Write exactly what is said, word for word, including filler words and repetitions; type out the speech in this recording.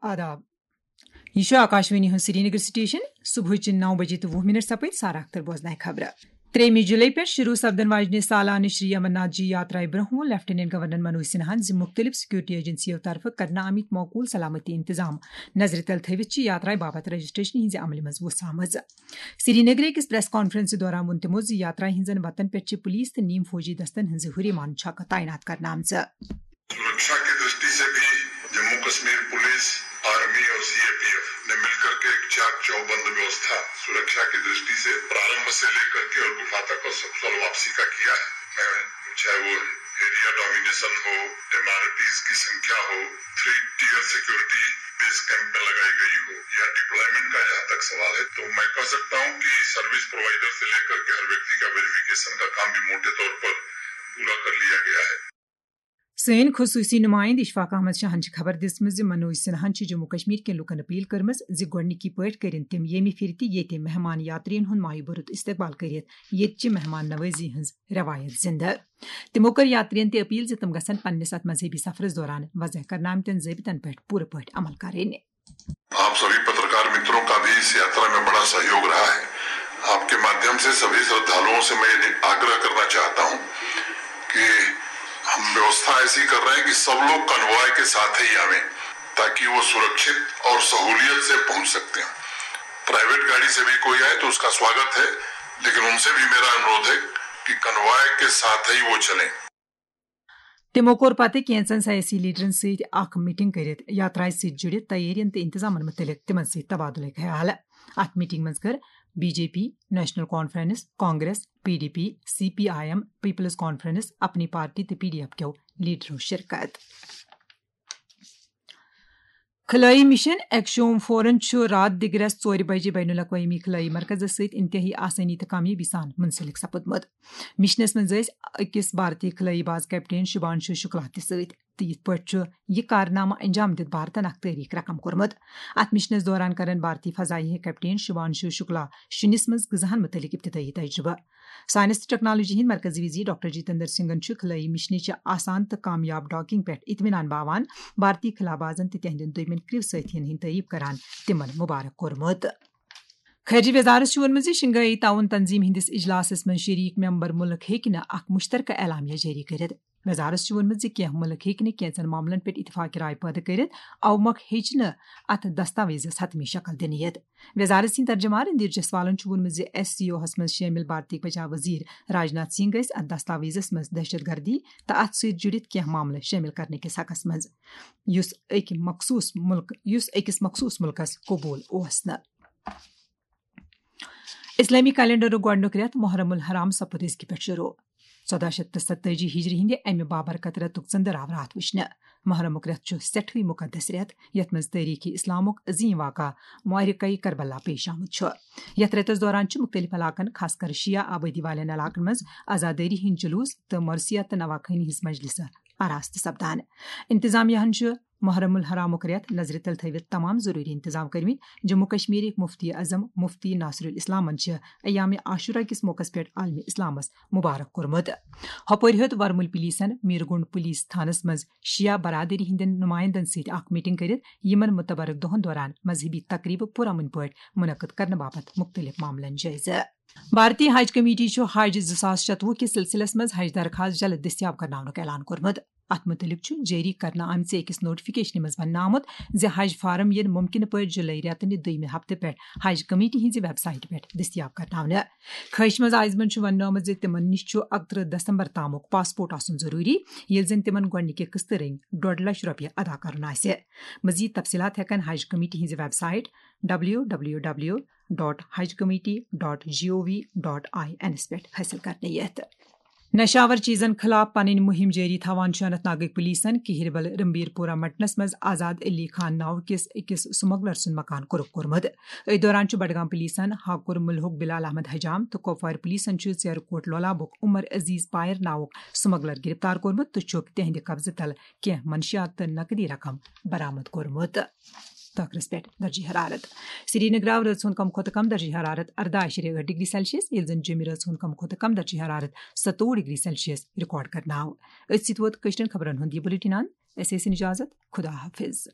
آداب۔ یہِ چھُ آکاشوانی ہُنٛد سرینگر سٹیشن۔ صبحٕچہِ نو بجے تہٕ وُہ منٹ سپٕدۍ۔ سارا اختر بوزناوِ خبرٕ۔ ترٛیٚیِمہِ جُلے پٮ۪ٹھ شروع سپدن واجنہِ سالانہٕ شری امرناتھ جی یاترایہِ برٛونٛہہ ووٚن لیفٹیننٹ گورنر منوج سنہاہن زِ مُختٔلِف سیکورٹی ایجنسیو طرفہٕ کرنہٕ آمٕتۍ معقول سلامتی انتظام نظرِ تل تھٲوِتھ چھِ یاترایہِ باپتھ رجسٹریشن ہٕنٛزِ عملہِ منٛز وُژھ آمٕژ۔ سرینگرٕ أکِس پریس کانفرنسہِ دوران ووٚن تِمو زِ یاترایہِ ہٕنٛزن وتن پٮ۪ٹھ چھِ پُلیٖس تہٕ نیم فوجی دستن ہٕنٛزِ ہُرِ مان چھاکہٕ تعینات کرنہٕ آمژٕ۔ सुरक्षा की दृष्टि से भी जम्मू कश्मीर पुलिस, आर्मी और सीएपीएफ ने मिलकर के एक चाक चौबंद व्यवस्था सुरक्षा की दृष्टि से प्रारंभ से लेकर के और गुफा तक और सकुशल वापसी का किया है। मैं, चाहे वो एरिया डोमिनेशन हो, एमआरपीज की संख्या हो, three tier security base camp में लगाई गई हो, या डिप्लॉयमेंट का जहां तक सवाल है, तो मैं कह सकता हूं कि सर्विस प्रोवाइडर से लेकर के हर व्यक्ति का वेरिफिकेशन का काम भी मोटे तौर पर पूरा कर लिया गया है। سٲنۍ خصوٗصی نُمٲیِنٛدٕ اشفاق احمد شاہن چھِ خبر دِژمٕژ زِ منوج سنہاہن چھِ جموں کشمیر کٮ۪ن لوٗکن اپیل کٔرمٕژ زِ گۄڈٕنِکی پٲٹھۍ کٔرِن تِم ییٚمہِ پھِرِ تہِ ییٚتہِ مہمان یاترین ہُنٛد مایہِ بوٚرُت استقبال کٔرِتھ، ییٚتہِ چہِ مہمان نوٲزی ہٕنٛز رٮ۪وایت زِنٛدٕ۔ تِمو کٔر یاترین تہِ اپیل زِ تِم گژھن پننِس اتھ مذہبی سفرس دوران وضع کرنہٕ آمتٮ۪ن ضٲبطن پٮ۪ٹھ پوٗرٕ پٲٹھۍ عمل کرٕنۍ۔ आप सभी पत्रकार मित्रों का भी इस यात्रा में बड़ा सहयोग रहा है। आपके माध्यम से सभी श्रद्धालुओं से मैं ये आग्रह करना चाहता हूं कि हम व्यवस्था ऐसी कर रहे हैं कि सब लोग कन्वॉय के साथ ही आवें, ताकि वो सुरक्षित और सहूलियत से पहुंच सकते हैं। प्राइवेट गाड़ी से भी कोई आए तो उसका स्वागत है, लेकिन उनसे भी मेरा अनुरोध है कि कन्वॉय के साथ ही वो चलें। تِمو کوٚر پتہٕ کینٛژن سیٲسی لیڈرن سۭتۍ اکھ میٹنگ کٔرِتھ یاترایہِ سۭتۍ جُڑِتھ تیٲرین تہٕ انتظامن مُتعلق تِمن سۭتۍ تبادلہٕ خیال۔ اتھ میٹنگ منٛز کٔر B J P, National Conference, Congress, P D P, C P I M, People's Conference, Apni Party تہٕ پی ڈی ایف کیو لیڈرو شرکت۔ خلٲیی مشن ایکشوم فورن چھُ راتھ دِگرس ژورِ بجہِ بین الاقوٲمی خلٲیی مرکزس سۭتۍ انتہٲئی آسٲنی تہٕ کامیٲبی سان منسلک سپُدمُت۔ مشنس منٛز ٲسۍ أکِس بھارتی خلٲیی باز کیپٹین شُبھانشو شُکلا تہِ سۭتۍ، تہٕ یِتھ پٲٹھۍ چھُ یہِ کارنامہٕ انجام دِتھ بھارتن اکھ تٲریخ رقم کوٚرمُت۔ اتھ مشنس دوران کرن بھارتی فضائیہ کیپٹین شُبھانشو شُکلا شُنِس منٛز غذاہن مُتعلق ابتدٲئی تجربہٕ۔ سائنس تہٕ ٹیکنالوجی ہٕنٛدۍ مرکزی وزیر ڈاکٹر جتیندر سنگھن چھُ خلٲیی مشنٕچہِ آسان تہٕ کامیاب ڈاکنگ پٮ۪ٹھ اطمینان باوان۔ بھارتی خلا بازن تہٕ تِہنٛدٮ۪ن دوٚیمٮ۪ن کرٛیوٗ سٲتھین ہٕنٛدۍ تعریف کران تِمن مبارک کوٚرمُت۔ خارجہ وزارت چھُ ووٚنمُت زِ شنگھائی تعاون تنظیم ہٕنٛدِس اجلاسس منٛز شریک ممبر مُلک ہیٚکہِ نہٕ اکھ مشترکہ اعلامیہ جٲری کٔرِتھ۔ وزارت چھُ ووٚنمُت زِ کینٛہہ مُلک ہیٚکہِ نہٕ کینٛژن معاملن پٮ۪ٹھ اتفاق رائے پٲدٕ کٔرِتھ، اوٕ مۄکھ ہیٚچہِ نہٕ اتھ دستاویزس حتمی شکل دِنہٕ یِتھ۔ وزارت سٕنٛدۍ ترجمان رندھیر جسوالن چھُ ووٚنمُت زِ ایس سی او ہس منٛز شٲمِل بھارتی بچاو وزیر راجناتھ سنگھ ٲسۍ اتھ دستاویزس منٛز دہشت گردی تہٕ اتھ سۭتۍ جُڑِتھ کینٛہہ معاملہٕ شٲمِل کرنہٕ کِس حقس منٛز، یُس أکۍ مخصوٗص مُلک، یُس أکِس مخصوٗص مُلکس قبوٗل اوس نہٕ۔ اسلامی کیلنڈرُک گۄڈٕنیُک رٮ۪تھ محرم الحرام سپُد أزکہِ پٮ۪ٹھ شروع۔ ژۄداہ شیٚتھ تہٕ ستٲجی ہجری ہٕنٛدِ امہِ بابرکت رٮ۪تُک ژٔنٛدٕر آو راتھ وٕچھنہٕ۔ محرمُک رٮ۪تھ چھُ سٮ۪ٹھوٕے مُقدس رٮ۪تھ، یتھ منٛز تٲریٖخی اسلامُک عظیٖم واقعہ معرکہ کربلا پیش آمُت چھُ۔ یتھ رٮ۪تس دوران چھِ مُختٔلِف علاقن، خاص کر شیعہ آبٲدی والٮ۪ن علاقن منٛز عزادٲری ہٕنٛدۍ جلوٗس تہٕ مرثیہ تہٕ نواخٲنی ہٕنٛز مجلسہٕ آراستہٕ سپدان۔ انتظامیہ ہن چھُ محرم الحرامُک رٮ۪تھ نظرِ تل تھٲوِتھ تمام ضروٗری انتظام کٔرمٕتۍ۔ جموں کشمیرٕکۍ مفتی اعظم مفتی ناصر الاسلامن چھِ ایام عاشورہ کِس موقعس پٮ۪ٹھ عالمِ اسلامس مبارک کوٚرمُت۔ ہۄپٲرۍ ہیوٚت ورمُل پولیسن میرگنڈ پولیس تھانس منٛز شیعہ برادری ہٕنٛدٮ۪ن نمایندن سۭتۍ اکھ میٹنگ کٔرِتھ یِمن متبرک دۄہن دوران مذہبی تقریبہٕ پرامن پٲٹھۍ منعقد کرنہٕ باپتھ مُختٔلِف معاملن جٲیزٕ۔ بھارتی حج کمیٹی چھُ حج زٕ ساس شتوُہ کِس سلسلس منٛز حج درخواست جلد دٔستیاب کرناونُک اعلان کوٚرمُت۔ اتھ مُتعلق چھُ جٲری کرنہٕ آمژِ أکِس نوٹیفکیشنہِ منٛز وننہٕ آمُت زِ حج فارم یِن مُمکِنہٕ پٲٹھۍ جُلے رٮ۪تہٕ نہِ دوٚیمہِ ہفتہٕ پٮ۪ٹھ حج کمیٹی ہٕنٛزِ ویب سایٹہِ پٮ۪ٹھ دٔستیاب کرناونہٕ۔ خٲہِشہِ منٛز آیہِ یِمن چھُ وننہٕ آمُت زِ تِمن نِش چھُ اَکترٕہ دسمبر تامُک پاسپورٹ آسُن ضروٗری، ییٚلہِ زن تِمن گۄڈٕنِکہِ قٕسطہٕ رٔنگۍ ڈۄڈ لچھ رۄپیہِ ادا کرُن آسہِ۔ مزید تفصیلات ہٮ۪کن حج کمیٹی ہٕنٛزِ website W W W dot Haj committee dot G O V dot I اینس پٮ۪ٹھ حٲصِل کرنہٕ یِتھ۔ نشہٕ آور چیزن خلاف پنٕنۍ مُہِم جٲری تھاوان چھُ اننت ناگٕکۍ پولیسن کِہِربل رمبیر پورہ مٹنس منٛز آزاد علی خان ناوٕ کِس أکِس سمگلر سُنٛد مکان قرق کوٚرمُت۔ أتھۍ دوران چھُ بڈگام پولیسن ہاکُر ملہُک بلال احمد حجام تہٕ کۄپوارِ پولیسن چھُ ژیرٕ کوٹ لولابُک عمر عزیز پایر ناوُک سمگلر گرفتار کوٚرمُت تہٕ چھُکھ تِہنٛدِ قبضہٕ تل کینٛہہ منشیات تہٕ نقدی رقم برآمد کوٚرمُت۔ تہٕ ٲخرس پٮ۪ٹھ درجہ حرارت۔ سرینگر آو رٲژ ہُنٛد کم کھۄتہٕ کم درجہ حرارت ارداہ اعشاریہ ٲٹھ ڈگری سیلسیس، ییٚلہِ زن جیٚمہِ رٲژ ہُنٛد کم کھۄتہٕ کم درجہ حرارت ستووُہ ڈگری سیلسیس ریکارڈ کرنہٕ آو۔ أتھۍ سۭتۍ ووت کٲشرٮ۪ن خبرن ہُنٛد یہِ بُلٹن اند۔ اَسہِ ٲسِن اجازت۔ خدا حافظ۔